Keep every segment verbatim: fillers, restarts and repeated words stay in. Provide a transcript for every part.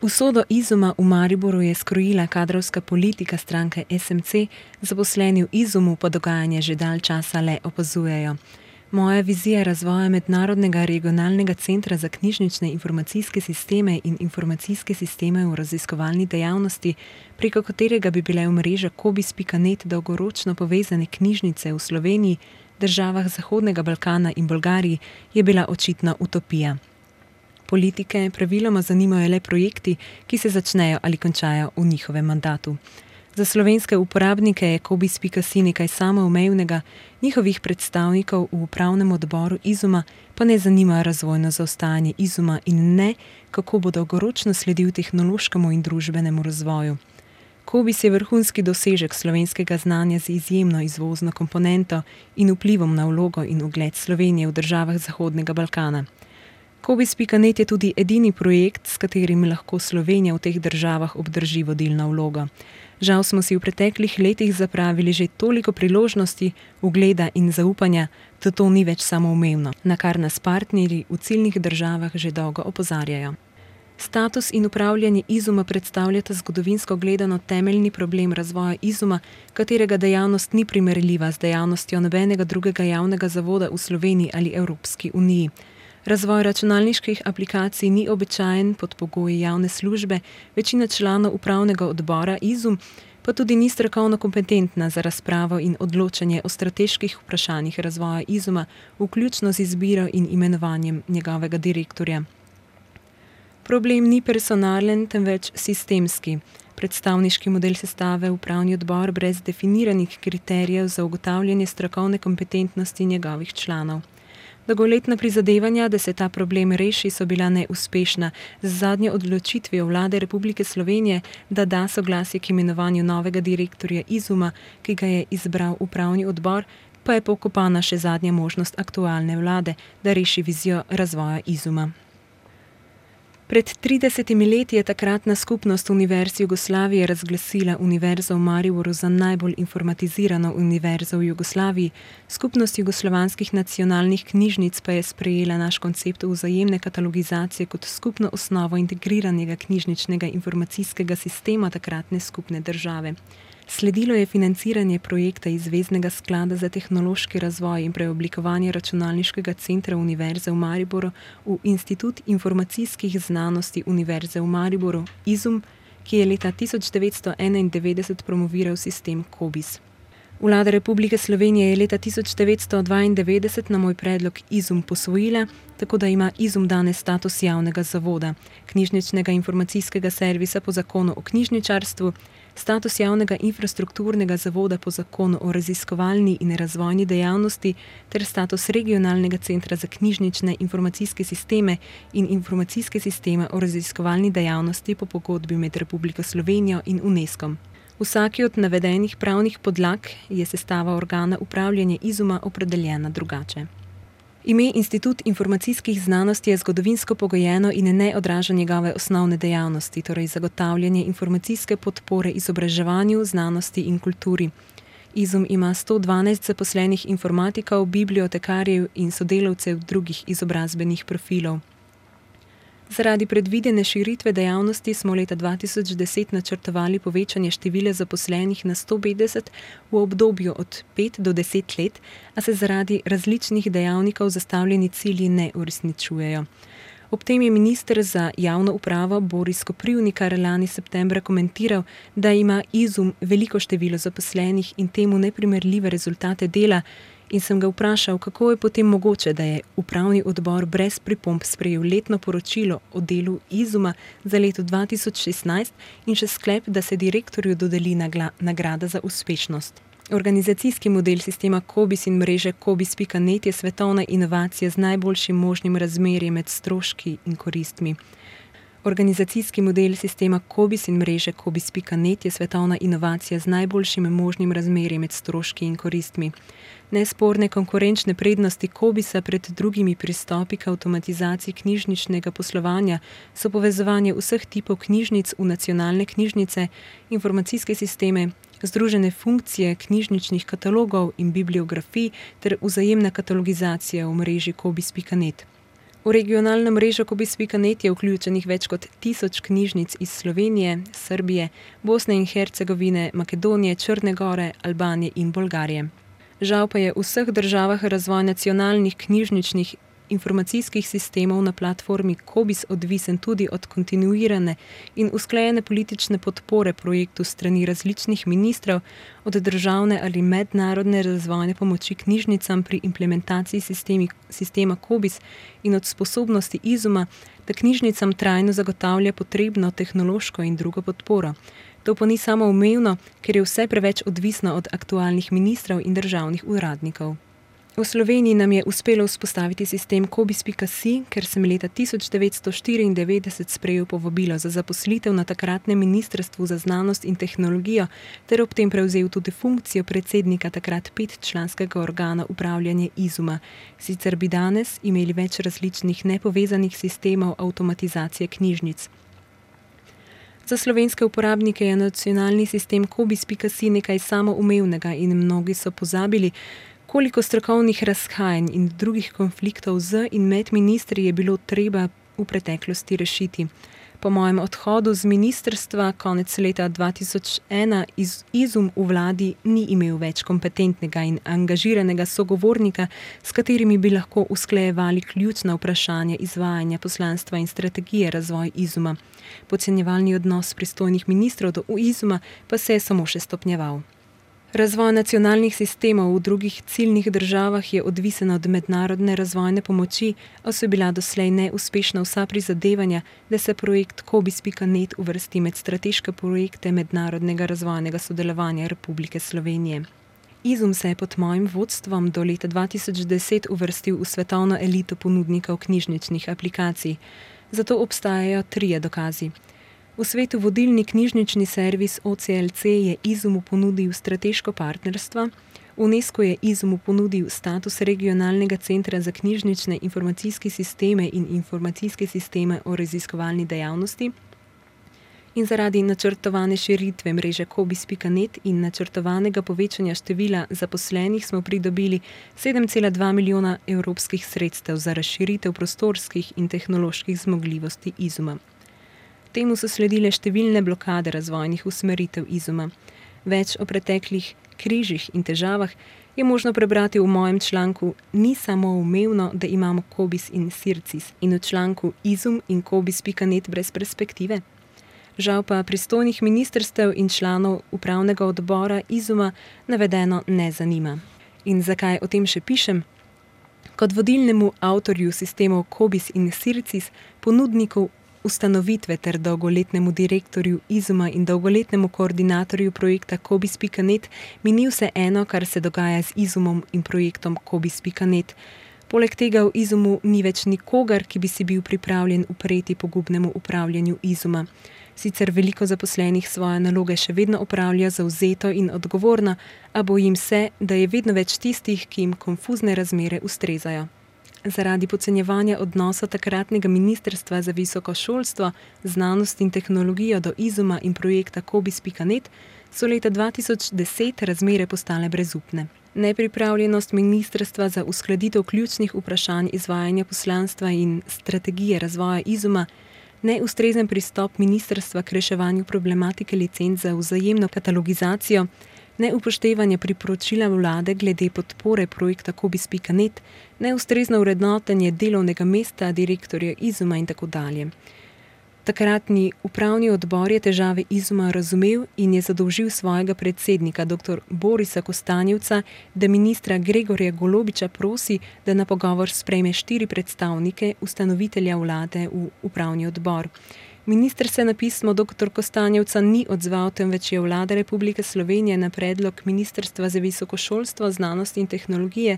Usodo Izuma v Mariboru je skrojila kadrovska politika stranke es em ce, zaposleni v Izumu pa dogajanje že dalj časa le opazujejo. Moja vizija razvoja mednarodnega regionalnega centra za knjižnične informacijske sisteme in informacijske sisteme v raziskovalni dejavnosti, preko katerega bi bile v mrežo kobis pika net dolgoročno povezane knjižnice v Sloveniji, državah Zahodnega Balkana in Bolgariji, je bila očitna utopija. Politike praviloma zanimajo le projekti, ki se začnejo ali končajo v njihovem mandatu. Za slovenske uporabnike je kobis pika si nekaj samoumevnega, njihovih predstavnikov v upravnem odboru Izuma pa ne zanima razvojno zaostajanje Izuma in ne, kako bo dolgoročno sledil tehnološkemu in družbenemu razvoju. Kobis je vrhunski dosežek slovenskega znanja z izjemno izvozno komponento in vplivom na vlogo in ugled Slovenije v državah Zahodnega Balkana. kobis pika net je tudi edini projekt, s katerim lahko Slovenija v teh državah obdrži vodilno vlogo. Žal smo si v preteklih letih zapravili že toliko priložnosti, ugleda in zaupanja, da to ni več samoumevno, na kar nas partnerji v ciljnih državah že dolgo opozarjajo. Status in upravljanje Izuma predstavljata zgodovinsko gledano temeljni problem razvoja Izuma, katerega dejavnost ni primerljiva z dejavnostjo nobenega drugega javnega zavoda v Sloveniji ali Evropski uniji. Razvoj računalniških aplikacij ni običajen pod pogoji javne službe, večina članov upravnega odbora Izum pa tudi ni strokovno kompetentna za razpravo in odločanje o strateških vprašanjih razvoja Izuma, vključno z izbiro in imenovanjem njegovega direktorja. Problem ni personalen, temveč sistemski. Predstavniški model sestave upravni odbor brez definiranih kriterijev za ugotavljanje strokovne kompetentnosti njegovih članov. Dolgoletna prizadevanja, da se ta problem reši, so bila neuspešna. Z zadnjo odločitvijo vlade Republike Slovenije, da da soglasje k imenovanju novega direktorja Izuma, ki ga je izbral upravni odbor, pa je pokopana še zadnja možnost aktualne vlade, da reši vizijo razvoja Izuma. Pred tridesetimi leti je takratna skupnost Univerz Jugoslavije razglasila Univerzo v Mariboru za najbolj informatizirano univerzo v Jugoslaviji, skupnost jugoslovanskih nacionalnih knjižnic pa je sprejela naš koncept vzajemne katalogizacije kot skupno osnovo integriranega knjižničnega informacijskega sistema takratne skupne države. Sledilo je financiranje projekta iz Zveznega sklada za tehnološki razvoj in preoblikovanje računalniškega centra Univerze v Mariboru v Institut informacijskih znanosti Univerze v Mariboru, Izum, ki je leta tisoč devetsto enaindevetdeset promoviral sistem kobis. Vlada Republike Slovenije je leta tisoč devetsto dvaindevetdeset na moj predlog Izum posvojila, tako da ima Izum danes status javnega zavoda, knjižničnega informacijskega servisa po zakonu o knjižničarstvu, status javnega infrastrukturnega zavoda po zakonu o raziskovalni in razvojni dejavnosti ter status regionalnega centra za knjižnične informacijske sisteme in informacijske sisteme o raziskovalni dejavnosti po pogodbi med Republiko Slovenijo in Unescom. Vsaki od navedenih pravnih podlag je sestava organa upravljanja Izuma opredeljena drugače. Ime Institut informacijskih znanosti je zgodovinsko pogojeno in ne odraža njegove osnovne dejavnosti, torej zagotavljanje informacijske podpore izobraževanju, znanosti in kulturi. Izum ima sto dvanajst zaposlenih informatikov, bibliotekarjev in sodelavcev drugih izobrazbenih profilov. Zaradi predvidene širitve dejavnosti smo leta dva tisoč deset načrtovali povečanje števila zaposlenih na sto petdeset v obdobju od pet do deset let, a se zaradi različnih dejavnikov zastavljeni cilji ne uresničujejo. Ob tem je minister za javno upravo Boris Koprivnikar lani septembra komentiral, da ima Izum veliko število zaposlenih in temu neprimerljive rezultate dela, in sem ga vprašal, kako je potem mogoče, da je upravni odbor brez pripomb sprejel letno poročilo o delu Izuma za leto dva tisoč šestnajst in še sklep, da se direktorju dodeli nagrada za uspešnost. Organizacijski model sistema kobis in mreže kobis pika net je svetovna inovacija z najboljšim možnim razmerjem med stroški in koristmi. Organizacijski model sistema kobis in mreže kobis pika net je svetovna inovacija z najboljšim možnim razmerjem med stroški in koristmi. Nesporne konkurenčne prednosti kobisa pred drugimi pristopi k avtomatizaciji knjižničnega poslovanja so povezovanje vseh tipov knjižnic v nacionalne knjižnice, informacijske sisteme, združene funkcije knjižničnih katalogov in bibliografij ter vzajemna katalogizacija v mreži kobis pika net. V regionalno mrežo kobis pika net je vključenih več kot tisoč knjižnic iz Slovenije, Srbije, Bosne in Hercegovine, Makedonije, Črne gore, Albanije in Bolgarije. Žal pa je v vseh državah razvoj nacionalnih knjižničnih informacijskih sistemov na platformi Kobis odvisen tudi od kontinuirane in usklajene politične podpore projektu strani različnih ministrov, od državne ali mednarodne razvojne pomoči knjižnicam pri implementaciji sistemi, sistema Kobis in od sposobnosti Izuma, da knjižnicam trajno zagotavlja potrebno tehnološko in drugo podporo. To pa ni samoumevno, ker je vse preveč odvisno od aktualnih ministrov in državnih uradnikov. V Sloveniji nam je uspelo vzpostaviti sistem kobis pika si, ker sem leta tisoč devetsto štiriindevetdeset sprejel povabilo za zaposlitev na takratnem Ministrstvu za znanost in tehnologijo ter ob tem prevzel tudi funkcijo predsednika takrat petčlanskega organa upravljanja Izuma. Sicer bi danes imeli več različnih nepovezanih sistemov avtomatizacije knjižnic. Za slovenske uporabnike je nacionalni sistem kobis pika si nekaj samoumevnega in mnogi so pozabili, koliko strokovnih razhajanj in drugih konfliktov z in med ministri je bilo treba v preteklosti rešiti. Po mojem odhodu z ministrstva konec leta dva tisoč ena iz Izum v vladi ni imel več kompetentnega in angažiranega sogovornika, s katerimi bi lahko usklajevali ključna vprašanja izvajanja poslanstva in strategije razvoj Izuma. Podcenjevalni odnos pristojnih ministrov do Izuma pa se je samo še stopnjeval. Razvoj nacionalnih sistemov v drugih ciljnih državah je odvisen od mednarodne razvojne pomoči, a so bila doslej neuspešna vsa prizadevanja, da se projekt kobis pika net uvrsti med strateške projekte mednarodnega razvojnega sodelovanja Republike Slovenije. Izum se je pod mojim vodstvom do leta dva tisoč deset uvrstil v svetovno elito ponudnikov knjižničnih aplikacij. Zato obstajajo trije dokazi. V svetu vodilni knjižnični servis O C L C je Izumu ponudil strateško partnerstvo, UNESCO je Izumu ponudil status regionalnega centra za knjižnične informacijske sisteme in informacijske sisteme o raziskovalni dejavnosti in zaradi načrtovane širitve mreže kobis pika net in načrtovanega povečanja števila zaposlenih smo pridobili sedem cela dva milijona evropskih sredstev za razširitev prostorskih in tehnoloških zmogljivosti Izuma. Temu so sledile številne blokade razvojnih usmeritev Izuma. Več o preteklih križih in težavah je možno prebrati v mojem članku Ni samoumevno, da imamo kobis in sircis in v članku Izum in kobis pika net brez perspektive. Žal pa pristojnih ministrstev in članov upravnega odbora Izuma navedeno ne zanima. In zakaj o tem še pišem? Kot vodilnemu avtorju sistemov kobis in sircis, ponudniku ustanovitve ter dolgoletnemu direktorju Izuma in dolgoletnemu koordinatorju projekta kobis pika net mi ni vse eno, kar se dogaja z Izumom in projektom kobis pika net. Poleg tega v Izumu ni več nikogar, ki bi si bil pripravljen upreti pogubnemu upravljanju Izuma. Sicer veliko zaposlenih svoje naloge še vedno opravlja zavzeto in odgovorno, a bojim se, da je vedno več tistih, ki jim konfuzne razmere ustrezajo. Zaradi podcenjevanja odnosa takratnega Ministrstva za visoko šolstvo, znanost in tehnologijo do Izuma in projekta kobis pika net so leta dva tisoč deset razmere postale brezupne. Nepripravljenost Ministrstva za uskladitev ključnih vprašanj izvajanja poslanstva in strategije razvoja Izuma, neustrezen pristop ministrstva k reševanju problematike licenc za vzajemno katalogizacijo, neupoštevanje priporočila vlade glede podpore projekta kobis pika net, neustrezno vrednotenje delovnega mesta direktorja Izuma in tako dalje. Takratni upravni odbor je težave Izuma razumel in je zadolžil svojega predsednika dr. Borisa Kostanjevca, da ministra Gregorja Golobiča prosi, da na pogovor sprejme štiri predstavnike ustanovitelja vlade v upravni odbor. Minister se na pismo dr. Kostanjevca ni odzval, temveč je vlada Republike Slovenije na predlog Ministrstva za visoko šolstvo, znanost in tehnologije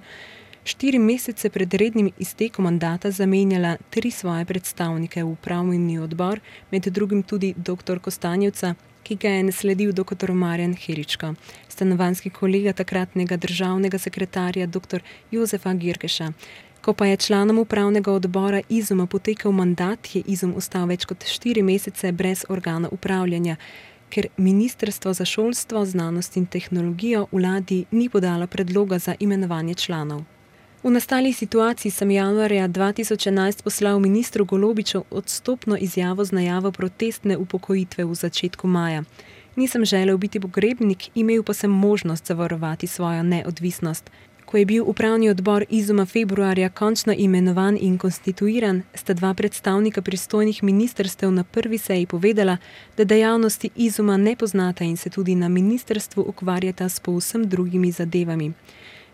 štiri mesece pred rednim iztekom mandata zamenjala tri svoje predstavnike v upravni odbor, med drugim tudi dr. Kostanjevca, ki ga je nasledil dr. Marjan Heričko, stanovanjski kolega takratnega državnega sekretarja dr. Jozefa Girkeša. Ko pa je članom upravnega odbora Izuma potekel mandat, je Izum ostal več kot štiri mesece brez organa upravljanja, ker Ministrstvo za šolstvo, znanost in tehnologijo vladi ni podalo predloga za imenovanje članov. V nastali situaciji sem januarja dva tisoč enajst poslal ministru Golobiču odstopno izjavo z najavo protestne upokojitve v začetku maja. Nisem želel biti pogrebnik, imel pa sem možnost zavarovati svojo neodvisnost. Ko je bil upravni odbor Izuma februarja končno imenovan in konstituiran, sta dva predstavnika pristojnih ministrstev na prvi seji povedala, da dejavnosti Izuma ne poznata in se tudi na ministrstvu ukvarjata s povsem drugimi zadevami.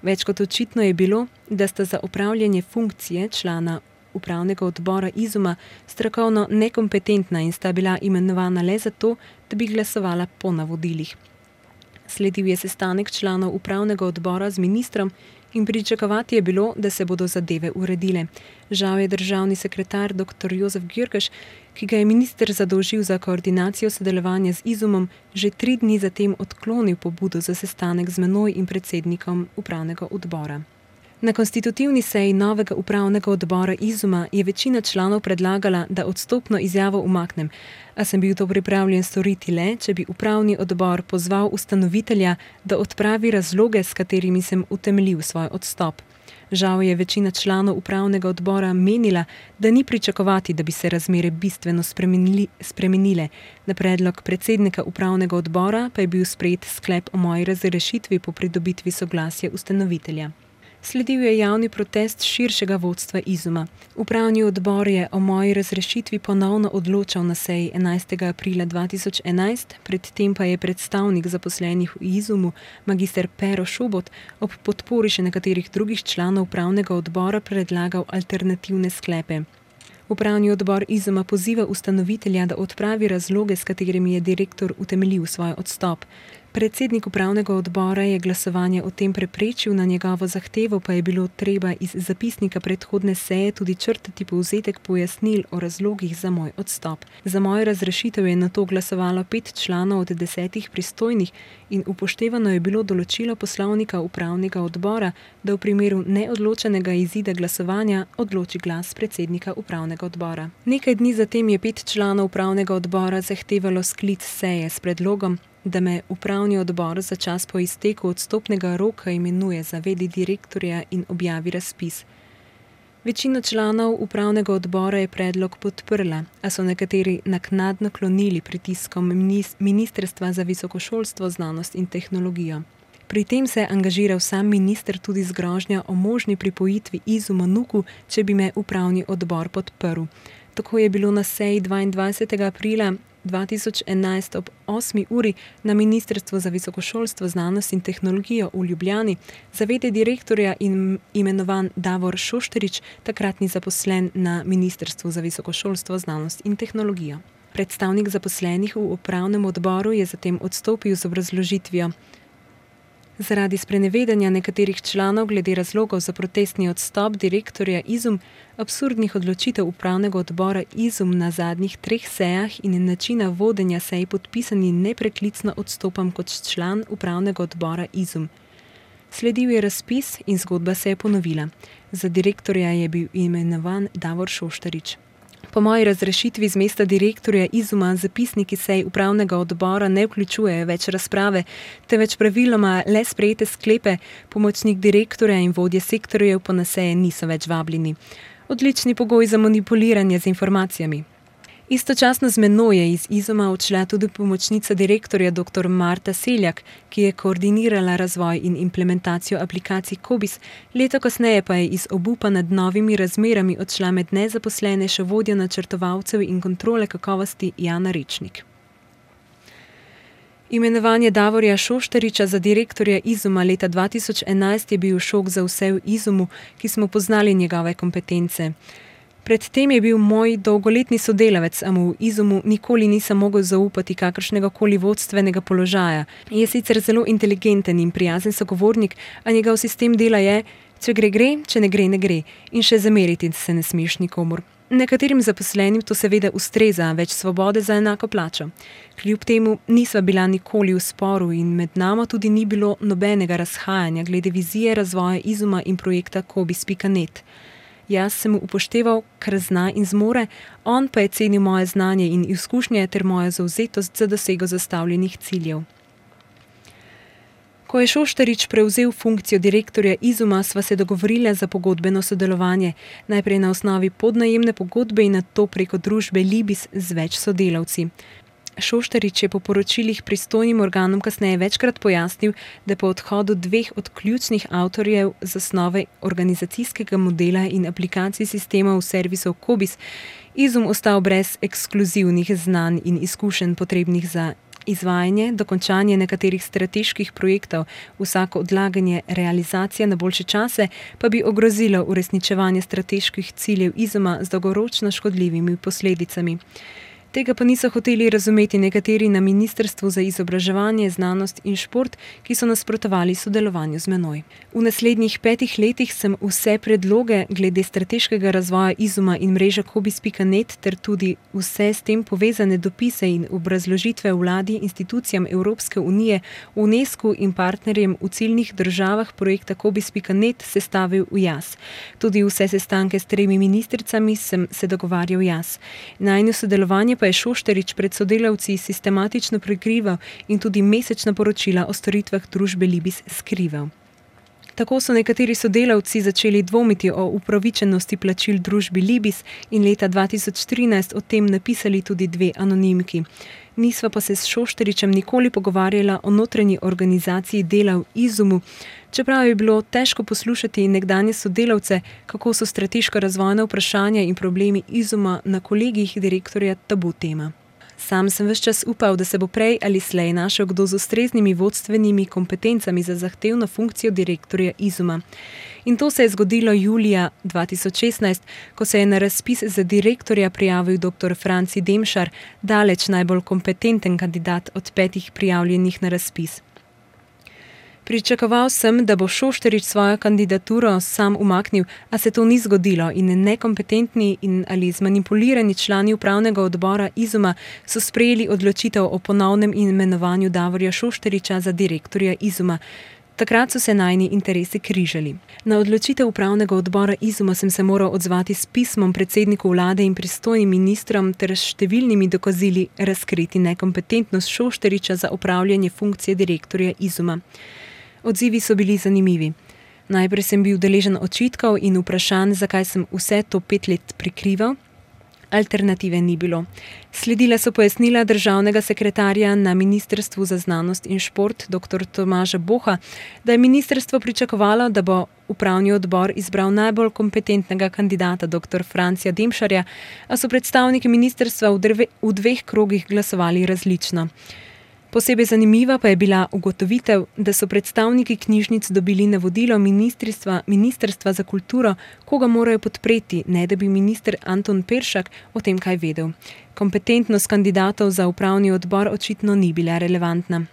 Več kot očitno je bilo, da sta za opravljanje funkcije člana upravnega odbora Izuma strokovno nekompetentna in sta bila imenovana le zato, da bi glasovala po navodilih. Sledil je sestanek članov upravnega odbora z ministrom in pričakovati je bilo, da se bodo zadeve uredile. Žal je državni sekretar doktor Jozef Gjurkeš, ki ga je minister zadolžil za koordinacijo sodelovanja z Izumom, že tri dni zatem odklonil pobudo za sestanek z menoj in predsednikom upravnega odbora. Na konstitutivni seji novega upravnega odbora Izuma je večina članov predlagala, da odstopno izjavo umaknem, a sem bil to pripravljen storiti le, če bi upravni odbor pozval ustanovitelja, da odpravi razloge, s katerimi sem utemeljil svoj odstop. Žal je večina članov upravnega odbora menila, da ni pričakovati, da bi se razmere bistveno spremenili, spremenile. Na predlog predsednika upravnega odbora pa je bil sprejet sklep o moji razrešitvi po pridobitvi soglasja ustanovitelja. Sledil je javni protest širšega vodstva Izuma. Upravni odbor je o moji razrešitvi ponovno odločal na seji enajstega aprila dva tisoč enajst, predtem pa je predstavnik zaposlenih v Izumu, magister Pero Šobot, ob podpori še nekaterih drugih članov upravnega odbora predlagal alternativne sklepe. Upravni odbor Izuma poziva ustanovitelja, da odpravi razloge, s katerimi je direktor utemeljil svoj odstop. Predsednik upravnega odbora je glasovanje o tem preprečil, na njegovo zahtevo pa je bilo treba iz zapisnika predhodne seje tudi črtati povzetek pojasnil o razlogih za moj odstop. Za mojo razrešitev je nato glasovalo pet članov od desetih pristojnih in upoštevano je bilo določilo poslovnika upravnega odbora, da v primeru neodločenega izida glasovanja odloči glas predsednika upravnega odbora. Nekaj dni zatem je pet članov upravnega odbora zahtevalo sklic seje s predlogom, da me upravni odbor za čas po izteku odstopnega roka imenuje za v d direktorja in objavi razpis. Večina članov upravnega odbora je predlog podprla, a so nekateri naknadno klonili pritiskom Ministrstva za visoko šolstvo, znanost in tehnologijo. Pri tem se je angažiral sam minister tudi z grožnjo o možni pripojitvi Izuma Nuku, če bi me upravni odbor podprl. Tako je bilo na seji dvaindvajsetega aprila dva tisoč enajst ob osmi uri na Ministrstvu za visoko šolstvo, znanost in tehnologijo v Ljubljani za v d direktorja in imenovan Davor Šošterič, takratni zaposlen na Ministrstvu za visoko šolstvo, znanost in tehnologijo. Predstavnik zaposlenih v upravnem odboru je zatem odstopil z obrazložitvijo: zaradi sprenevedanja nekaterih članov glede razlogov za protestni odstop direktorja Izum, absurdnih odločitev upravnega odbora Izum na zadnjih treh sejah in načina vodenja sej podpisani nepreklicno odstopam kot član upravnega odbora Izum. Sledil je razpis in zgodba se je ponovila. Za direktorja je bil imenovan Davor Šoštarič. Po moji razrešitvi z mesta direktorja Izuma zapisniki sej upravnega odbora ne vključujejo več razprave, temveč praviloma le sprejete sklepe, pomočnik direktorja in vodje sektorjev pa na seje niso več vabljeni. Odlični pogoj za manipuliranje z informacijami. Istočasno z menoj je iz Izuma odšla tudi pomočnica direktorja dr. Marta Seljak, ki je koordinirala razvoj in implementacijo aplikacij Kobis, leto kasneje pa je iz obupa nad novimi razmerami odšla med nezaposlene še vodja načrtovalcev in kontrole kakovosti Jana Rečnik. Imenovanje Davorja Šoštariča za direktorja Izuma leta dva tisoč enajst je bil šok za vse v Izumu, ki smo poznali njegove kompetence. Predtem je bil moj dolgoletni sodelavec, a mu v Izumu nikoli nisem mogel zaupati kakršnega koli vodstvenega položaja. Je sicer zelo inteligenten in prijazen sogovornik, a njegov sistem dela je, če gre, gre, če ne gre, ne gre. In še zameriti se ne smeš nikomur. Nekaterim zaposlenim to seveda ustreza, več svobode za enako plačo. Kljub temu nisva bila nikoli v sporu in med nama tudi ni bilo nobenega razhajanja glede vizije razvoja Izuma in projekta Kobis pika net. Jaz sem mu upošteval, kar zna in zmore, on pa je cenil moje znanje in izkušnje ter mojo zavzetost za dosego zastavljenih ciljev. Ko je Šoštarič prevzel funkcijo direktorja Izuma, sva se dogovorila za pogodbeno sodelovanje, najprej na osnovi podnajemne pogodbe in nato preko družbe Libis z več sodelavci. Šoštarič je po poročilih pristojnim organom kasneje večkrat pojasnil, da po odhodu dveh od ključnih avtorjev zasnove organizacijskega modela in aplikacij sistemov servisov Kobis, Izum ostal brez ekskluzivnih znanj in izkušenj potrebnih za izvajanje, dokončanje nekaterih strateških projektov, vsako odlaganje realizacije na boljše čase pa bi ogrozilo uresničevanje strateških ciljev Izuma z dolgoročno škodljivimi posledicami. Tega pa niso hoteli razumeti nekateri na Ministrstvu za izobraževanje, znanost in šport, ki so nasprotovali sodelovanju z menoj. V naslednjih petih letih sem vse predloge glede strateškega razvoja Izuma in mreže kobis pika net ter tudi vse s tem povezane dopise in obrazložitve vladi, institucijam Evropske unije, UNESCO in partnerjem v ciljnih državah projekta kobis pika net sestavil jaz. Tudi vse sestanke s tremi ministricami sem se dogovarjal jaz. Najino sodelovanje pa je Šoštarič pred sodelavci sistematično prikrival in tudi mesečna poročila o storitvah družbe Libis skrival. Tako so nekateri sodelavci začeli dvomiti o upravičenosti plačil družbi Libis in leta dva tisoč trinajst o tem napisali tudi dve anonimki. Nisva pa se s Šoštaričem nikoli pogovarjala o notranji organizaciji dela v Izumu, čeprav je bilo težko poslušati nekdanje sodelavce, kako so strateško razvojna vprašanja in problemi Izuma na kolegijih direktorja tabu tema. Sam sem ves čas upal, da se bo prej ali slej našel kdo z ustreznimi vodstvenimi kompetencami za zahtevno funkcijo direktorja Izuma. In to se je zgodilo julija dva tisoč šestnajst, ko se je na razpis za direktorja prijavil doktor Franci Demšar, daleč najbolj kompetenten kandidat od petih prijavljenih na razpis. Pričakoval sem, da bo Šoštarič svojo kandidaturo sam umaknil, a se to ni zgodilo in nekompetentni in ali zmanipulirani člani upravnega odbora Izuma so sprejeli odločitev o ponovnem imenovanju Davorja Šoštariča za direktorja Izuma. Takrat so se najini interesi križali. Na odločitev upravnega odbora Izuma sem se moral odzvati s pismom predsedniku vlade in pristojnim ministrom ter s številnimi dokazili razkriti nekompetentnost Šoštariča za upravljanje funkcije direktorja Izuma. Odzivi so bili zanimivi. Najprej sem bil deležen očitkov in vprašanj, zakaj sem vse to pet let prikrival. Alternative ni bilo. Sledila so pojasnila državnega sekretarja na Ministrstvu za znanost in šport doktor Tomaža Boha, da je ministrstvo pričakovalo, da bo upravni odbor izbral najbolj kompetentnega kandidata doktor Francija Demšarja, a so predstavniki ministrstva v, drve, v dveh krogih glasovali različno. Posebej zanimiva pa je bila ugotovitev, da so predstavniki knjižnic dobili navodilo ministrstva, ministrstva za kulturo, koga morajo podpreti, ne da bi minister Anton Peršak o tem kaj vedel. Kompetentnost kandidatov za upravni odbor očitno ni bila relevantna.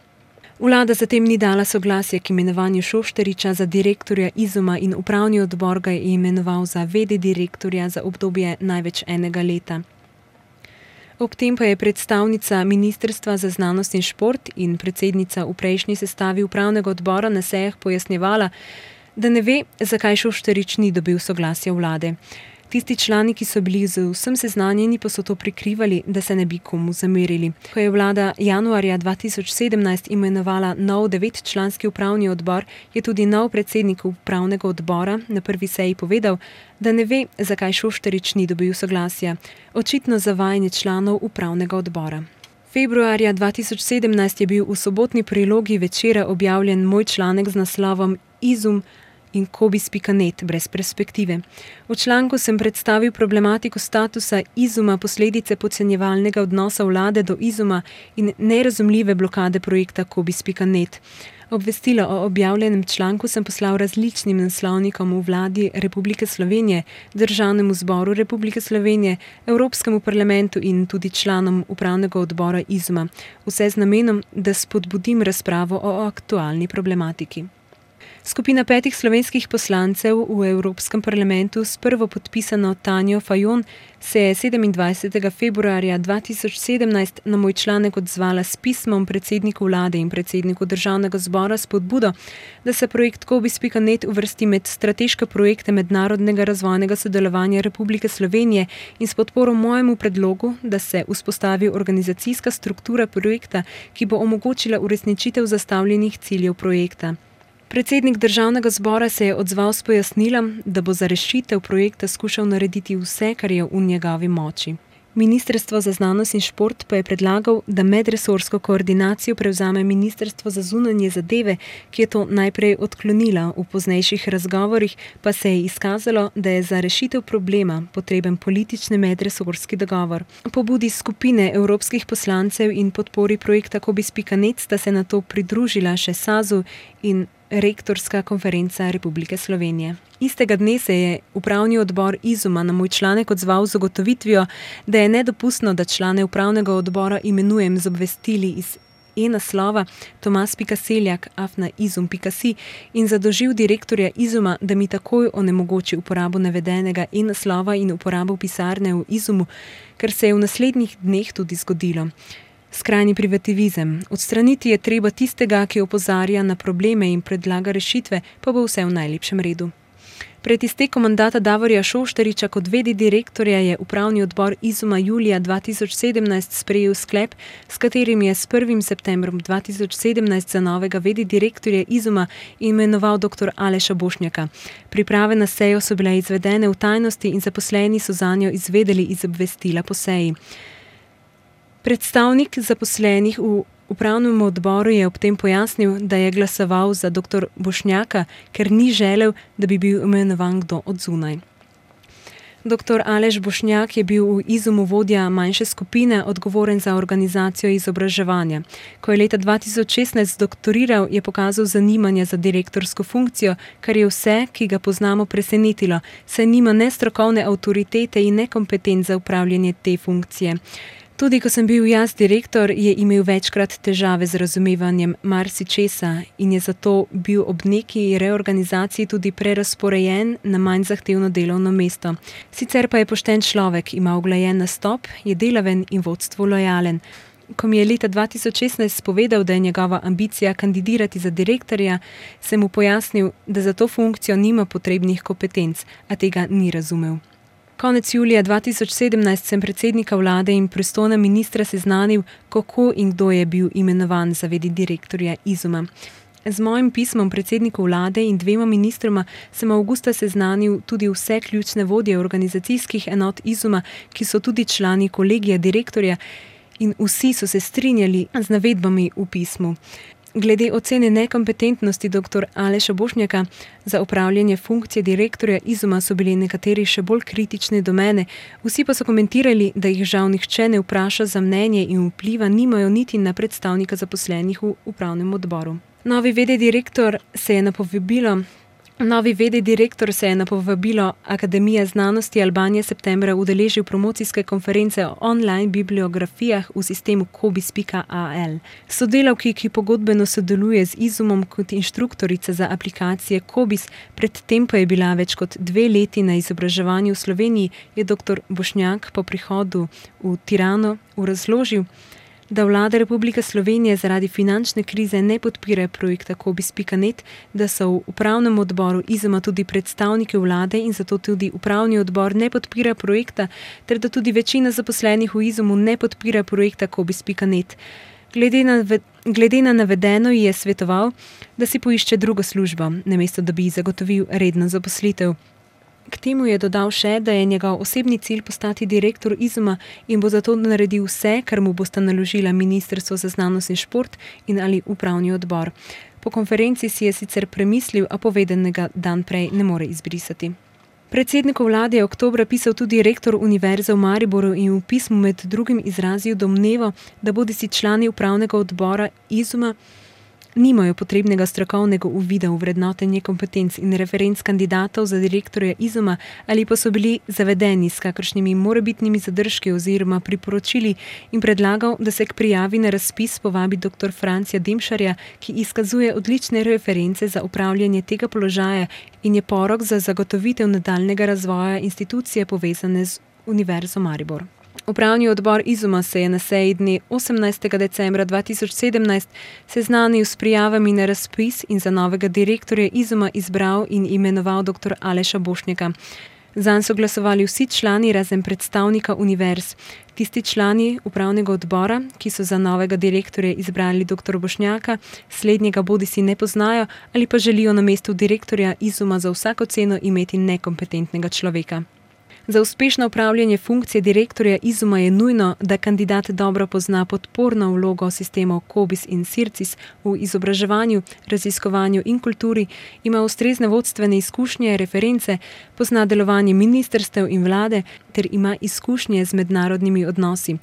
Vlada zatem ni dala soglasja k imenovanju Šoštariča za direktorja Izuma in upravni odbor ga je imenoval za v d direktorja za obdobje največ enega leta. Ob tem pa je predstavnica Ministrstva za znanost in šport in predsednica v prejšnji sestavi upravnega odbora na sejah pojasnjevala, da ne ve, zakaj Šoštarič ni dobil soglasja vlade. Tisti člani, ki so bili z vsem seznanjeni, pa so to prikrivali, da se ne bi komu zamerili. Ko je vlada januarja dva tisoč sedemnajst imenovala nov devetčlanski upravni odbor, je tudi nov predsednik upravnega odbora na prvi seji povedal, da ne ve, zakaj Šoštarič ni dobil soglasja. Očitno zavajanje članov upravnega odbora. Februarja dva tisoč sedemnajst je bil v sobotni prilogi Večera objavljen moj članek z naslovom Izum in kobis pika net brez perspektive. V članku sem predstavil problematiko statusa Izuma, posledice podcenjevalnega odnosa vlade do Izuma in nerazumljive blokade projekta kobis pika net. Obvestilo o objavljenem članku sem poslal različnim naslovnikom v vladi Republike Slovenije, Državnemu zboru Republike Slovenije, Evropskemu parlamentu in tudi članom upravnega odbora Izuma. Vse z namenom, da spodbudim razpravo o aktualni problematiki. Skupina petih slovenskih poslancev v Evropskem parlamentu s prvo podpisano Tanjo Fajon se je sedemindvajsetega februarja dva tisoč sedemnajst na moj članek odzvala s pismom predsedniku vlade in predsedniku državnega zbora s spodbudo, da se projekt Cobiss pika net uvrsti med strateške projekte mednarodnega razvojnega sodelovanja Republike Slovenije in s podporo mojemu predlogu, da se vzpostavi organizacijska struktura projekta, ki bo omogočila uresničitev zastavljenih ciljev projekta. Predsednik državnega zbora se je odzval s pojasnilom, da bo za rešitev projekta skušal narediti vse, kar je v njegovi moči. Ministrstvo za znanost in šport pa je predlagal, da medresorsko koordinacijo prevzame Ministrstvo za zunanje zadeve, ki je to najprej odklonila, v poznejših razgovorih pa se je izkazalo, da je za rešitev problema potreben politični medresorski dogovor. Pobudi skupine evropskih poslancev in podpori projekta Cobiss pika net sta se nato pridružila še SAZU in Rektorska konferenca Republike Slovenije. Istega dne se je upravni odbor Izuma na moj članek odzval z ugotovitvijo, da je nedopustno, da člane upravnega odbora imenujem z obvestili iz e-naslova tomas pika seljak afna izum pika si in zadolžil direktorja Izuma, da mi takoj onemogoči uporabo navedenega e-naslova in uporabo pisarne v Izumu, kar se je v naslednjih dneh tudi zgodilo. Skrajni privativizem. Odstraniti je treba tistega, ki opozarja na probleme in predlaga rešitve, pa bo vse v najlepšem redu. Pred iztekom mandata Davorja Šoštariča kot v d direktorja je upravni odbor Izuma julija dva tisoč sedemnajst sprejel sklep, s katerim je s prvim septembrom dva tisoč sedemnajst za novega v d direktorja Izuma imenoval doktor Aleša Bošnjaka. Priprave na sejo so bile izvedene v tajnosti in zaposleni so zanjo izvedeli iz obvestila po seji. Predstavnik zaposlenih v upravnem odboru je ob tem pojasnil, da je glasoval za doktor Bošnjaka, ker ni želel, da bi bil imenovan kdo od zunaj. Doktor Aleš Bošnjak je bil v Izumu vodja manjše skupine, odgovoren za organizacijo izobraževanja. Ko je leta dva tisoč šestnajst doktoriral, je pokazal zanimanje za direktorsko funkcijo, kar je vse, ki ga poznamo, presenetilo, saj nima ne strokovne avtoritete in ne kompetenc za upravljanje te funkcije. Tudi ko sem bil jaz direktor, je imel večkrat težave z razumevanjem marsičesa in je zato bil ob neki reorganizaciji tudi prerazporejen na manj zahtevno delovno mesto. Sicer pa je pošten človek, ima uglajen nastop, je delaven in vodstvu lojalen. Ko mi je leta dva tisoč šestnajst povedal, da je njegova ambicija kandidirati za direktorja, sem mu pojasnil, da za to funkcijo nima potrebnih kompetenc, a tega ni razumel. Konec julija dva tisoč sedemnajst sem predsednika vlade in pristojna ministra seznanil, kako in kdo je bil imenovan za v d direktorja Izuma. Z mojim pismom predsedniku vlade in dvema ministroma sem avgusta seznanil tudi vse ključne vodje organizacijskih enot Izuma, ki so tudi člani kolegija direktorja, in vsi so se strinjali z navedbami v pismu. Glede ocene nekompetentnosti doktor Aleša Bošnjaka za upravljanje funkcije direktorja Izuma so bili nekateri še bolj kritični do mene, vsi pa so komentirali, da jih žal nihče ne vpraša za mnenje in vpliva nimajo niti na predstavnika zaposlenih v upravnem odboru. Novi v d direktor se je na povabilo Novi v d direktor se je na povabilo Akademije znanosti Albanije septembra udeležil promocijske konference o online bibliografijah v sistemu Cobiss pika a l. Sodelavki, ki pogodbeno sodeluje z Izumom kot inštruktorica za aplikacije Cobiss, predtem pa je bila več kot dve leti na izobraževanju v Sloveniji, je doktor Bošnjak po prihodu v Tirano razložil, da vlada Republike Slovenije zaradi finančne krize ne podpira projekta Cobiss pika net, da so v upravnem odboru Izuma tudi predstavniki vlade in zato tudi upravni odbor ne podpira projekta, ter da tudi večina zaposlenih v Izumu ne podpira projekta Cobiss pika net. Glede na, glede na navedeno ji je svetoval, da si poišče drugo službo, namesto da bi ji zagotovil redno zaposlitev. K temu je dodal še, da je njegov osebni cilj postati direktor Izuma in bo zato naredil vse, kar mu bosta naložila Ministrstvo za znanost in šport in ali upravni odbor. Po konferenci si je sicer premislil, a povedanega dan prej ne more izbrisati. Predsedniku vlade je oktobra pisal tudi rektor Univerze v Mariboru in v pismu med drugim izrazil domnevo, da bodisi člani upravnega odbora Izuma nimajo potrebnega strokovnega uvida v vrednotenje kompetenc in referenc kandidatov za direktorja Izuma ali pa so bili zavedeni s kakršnimi morebitnimi zadržki oziroma priporočili in predlagal, da se k prijavi na razpis povabi dr. Francija Demšarja, ki izkazuje odlične reference za upravljanje tega položaja in je porok za zagotovitev nadaljnjega razvoja institucije povezane z Univerzo Maribor. Upravni odbor Izuma se je na seji dne osemnajstega decembra dva tisoč sedemnajst seznanil s prijavami na razpis in za novega direktorja Izuma izbral in imenoval dr. Aleša Bošnjaka. Zanj so glasovali vsi člani razen predstavnika univerz. Tisti člani upravnega odbora, ki so za novega direktorja izbrali dr. Bošnjaka, slednjega bodisi ne poznajo ali pa želijo na mestu direktorja Izuma za vsako ceno imeti nekompetentnega človeka. Za uspešno upravljanje funkcije direktorja Izuma je nujno, da kandidat dobro pozna podporno vlogo sistemov Kobis in Sircis v izobraževanju, raziskovanju in kulturi, ima ustrezne vodstvene izkušnje, reference, pozna delovanje ministrstev in vlade ter ima izkušnje z mednarodnimi odnosi.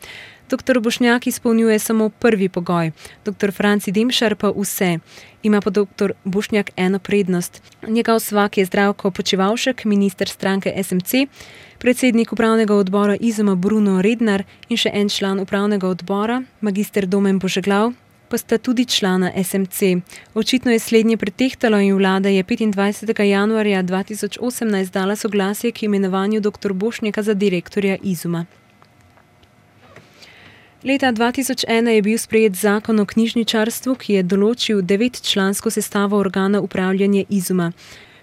Doktor Bošnjak izpolnjuje samo prvi pogoj, dr. Franci Demšar pa vse. Ima pa dr. Bošnjak eno prednost. Njegov svak je Zdravko Počivalšek, minister stranke S M C, predsednik upravnega odbora Izuma Bruno Rednar in še en član upravnega odbora, magister Domen Božeglav, pa sta tudi člana S M C. Očitno je slednje pretehtalo in vlada je petindvajsetega januarja dva tisoč osemnajst dala soglasje k imenovanju dr. Bošnjaka za direktorja Izuma. Leta dva tisoč ena je bil sprejet zakon o knjižničarstvu, ki je določil devetčlansko sestavo organa upravljanja Izuma.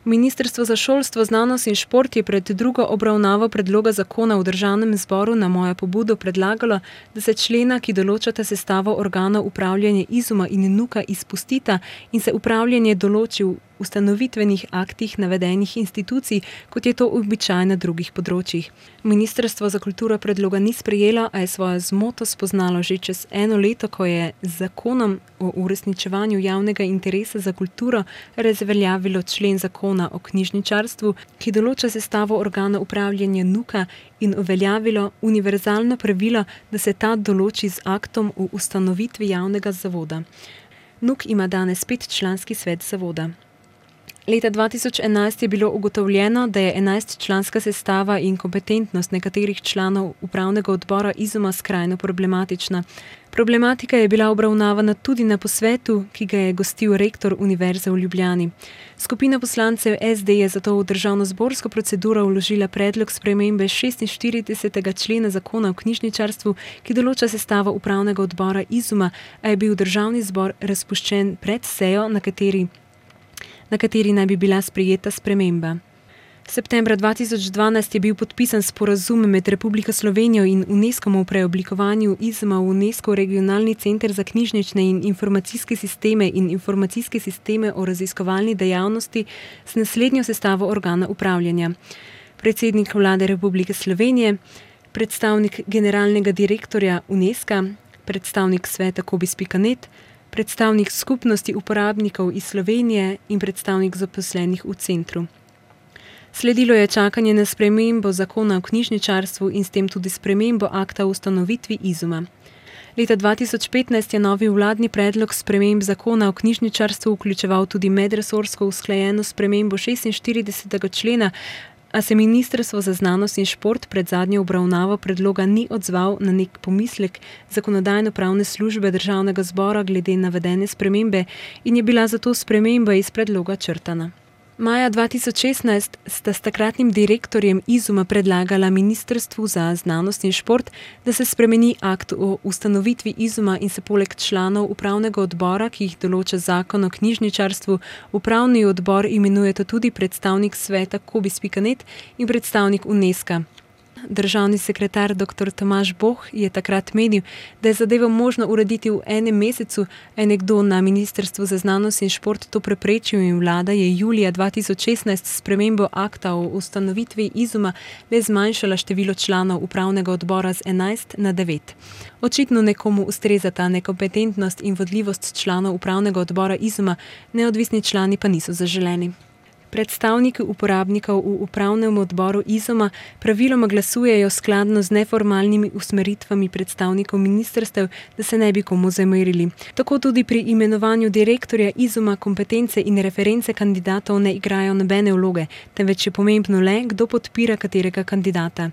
Ministrstvo za šolstvo, znanost in šport je pred drugo obravnavo predloga zakona v državnem zboru na mojo pobudo predlagalo, da se člena, ki določata sestavo organov upravljanja Izuma in Nuka, izpustita in se upravljanje določi v ustanovitvenih aktih navedenih institucij, kot je to običaj na drugih področjih. Ministrstvo za kulturo predloga ni sprejelo, a je svojo zmoto spoznalo že čez eno leto, ko je z zakonom o uresničevanju javnega interesa za kulturo razveljavilo člen zakona o knjižničarstvu, ki določa sestavo organa upravljanja Nuka in uveljavilo univerzalno pravilo, da se ta določi z aktom o ustanovitvi javnega zavoda. Nuk ima danes petčlanski svet zavoda. Leta dva tisoč enajst je bilo ugotovljeno, da je enajstčlanska sestava in kompetentnost nekaterih članov upravnega odbora Izuma skrajno problematična. Problematika je bila obravnavana tudi na posvetu, ki ga je gostil rektor Univerze v Ljubljani. Skupina poslancev S D je zato v državnozborsko proceduro vložila predlog spremembe šestinštiridesetega člena zakona o knjižničarstvu, ki določa sestavo upravnega odbora Izuma, a je bil državni zbor razpuščen pred sejo, na kateri na kateri naj bi bila sprejeta sprememba. Septembra dva tisoč dvanajst je bil podpisan sporazum med Republiko Slovenijo in UNESCOM o preoblikovanju Izuma v UNESCO regionalni center za knjižnične in informacijske sisteme in informacijske sisteme o raziskovalni dejavnosti s naslednjo sestavo organa upravljanja. Predsednik vlade Republike Slovenije, predstavnik generalnega direktorja UNESCO, predstavnik sveta kobis pika net, predstavnik skupnosti uporabnikov iz Slovenije in predstavnik zaposlenih v centru. Sledilo je čakanje na spremembo zakona o knjižničarstvu in s tem tudi spremembo akta o ustanovitvi Izuma. Leta dva tisoč petnajst je novi vladni predlog sprememb zakona o knjižničarstvu vključeval tudi medresorsko usklajeno spremembo šestinštiridesetega člena, a se Ministrstvo za znanost in šport pred zadnjo obravnavo predloga ni odzval na nek pomislek zakonodajno-pravne službe državnega zbora glede navedene spremembe in je bila zato sprememba iz predloga črtana. Maja dva tisoč šestnajst sta s takratnim direktorjem Izuma predlagala Ministrstvu za znanost in šport, da se spremeni akt o ustanovitvi Izuma in se poleg članov upravnega odbora, ki jih določa zakon o knjižničarstvu, upravni odbor imenujeta tudi predstavnik sveta kobis pika net in predstavnik UNESCO. Državni sekretar dr. Tomaž Boh je takrat menil, da je zadevo možno urediti v enem mesecu, a je nekdo na Ministrstvu za znanost in šport to preprečil in vlada je julija dva tisoč šestnajst s spremembo akta o ustanovitvi Izuma le zmanjšala število članov upravnega odbora z enajst na devet. Očitno nekomu ustrezata nekompetentnost in vodljivost članov upravnega odbora Izuma, neodvisni člani pa niso zaželeni. Predstavniki uporabnikov v upravnem odboru Izuma praviloma glasujejo skladno z neformalnimi usmeritvami predstavnikov ministrstev, da se ne bi komu zamerili. Tako tudi pri imenovanju direktorja Izuma kompetence in reference kandidatov ne igrajo nobene vloge, temveč je pomembno le, kdo podpira katerega kandidata.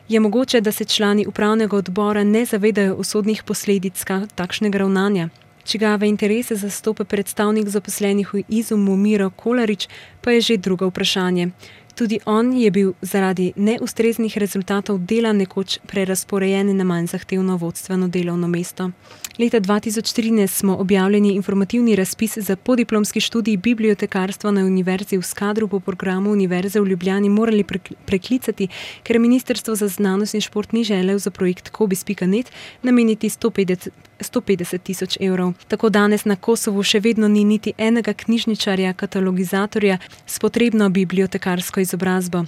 Je mogoče, da se člani upravnega odbora ne zavedajo usodnih posledic takšnega ravnanja? Čigave interese zastopa predstavnik zaposlenih v Izumu Miro Kolarič, pa je že drugo vprašanje. Tudi on je bil zaradi neustreznih rezultatov dela nekoč prerazporejen na manj zahtevno vodstveno delovno mesto. Leta dva tisoč trinajst smo objavljeni informativni razpis za podiplomski študij bibliotekarstva na Univerzi v Skadru po programu Univerze v Ljubljani morali preklicati, ker Ministrstvo za znanost in šport ni želel za projekt kobis pika net nameniti sto petdeset tisoč evrov. Tako danes na Kosovu še vedno ni niti enega knjižničarja, katalogizatorja s potrebno bibliotekarsko izobrazbo.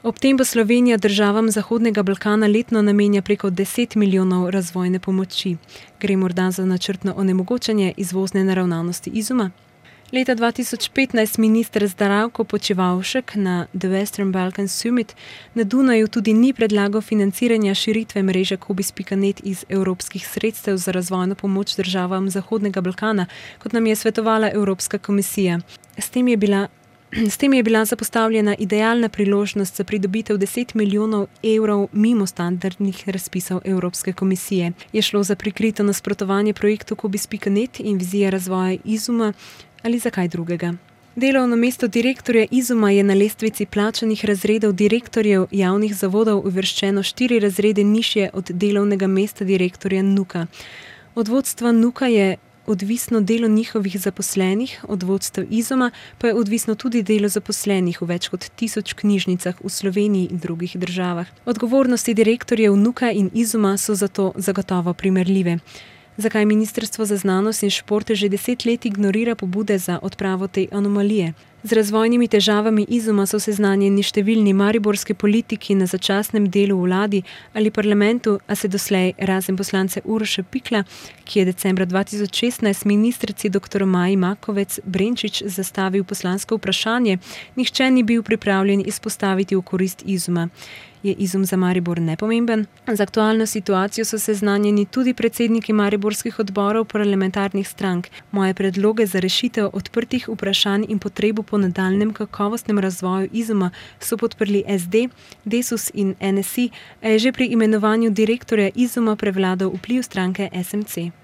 Ob tem pa Slovenija državam Zahodnega Balkana letno namenja preko deset milijonov razvojne pomoči. Gre morda za načrtno onemogočanje izvozne naravnanosti Izuma? Leta dva tisoč petnajst minister Zdravko Počivalšek na The Western Balkan Summit na Dunaju tudi ni predlagal financiranja širitve mreže kobis pika net iz evropskih sredstev za razvojno pomoč državam Zahodnega Balkana, kot nam je svetovala Evropska komisija. S tem je bila S tem je bila zapostavljena idealna priložnost za pridobitev deset milijonov evrov mimo standardnih razpisov Evropske komisije. Je šlo za prikrito nasprotovanje projektu kobis pika net in vizije razvoja Izuma ali za kaj drugega? Delovno mesto direktorja Izuma je na lestvici plačanih razredov direktorjev javnih zavodov uvrščeno štiri razrede nižje od delovnega mesta direktorja Nuka. Od vodstva Nuka je odvisno delo njihovih zaposlenih, od vodstev Izuma pa je odvisno tudi delo zaposlenih v več kot tisoč knjižnicah v Sloveniji in drugih državah. Odgovornosti direktorjev Nuka in Izuma so zato zagotovo primerljive. Zakaj Ministrstvo za znanost in šport že deset let ignorira pobude za odpravo te anomalije? Z razvojnimi težavami Izuma so seznanjeni številni mariborski politiki na začasnem delu v vladi ali parlamentu, a se doslej, razen poslance Uroša Pikla, ki je decembra dva tisoč šestnajst ministrici dr. Maji Makovec Brenčič zastavil poslansko vprašanje, nihče ni bil pripravljen izpostaviti v korist Izuma. Je Izum za Maribor nepomemben? Z aktualno situacijo so seznanjeni tudi predsedniki mariborskih odborov parlamentarnih strank. Moje predloge za rešitev odprtih vprašanj in potrebo po nadaljnjem kakovostnem razvoju Izuma so podprli es de, Desus in en es i, a je že pri imenovanju direktorja Izuma prevladal vpliv stranke es em ce.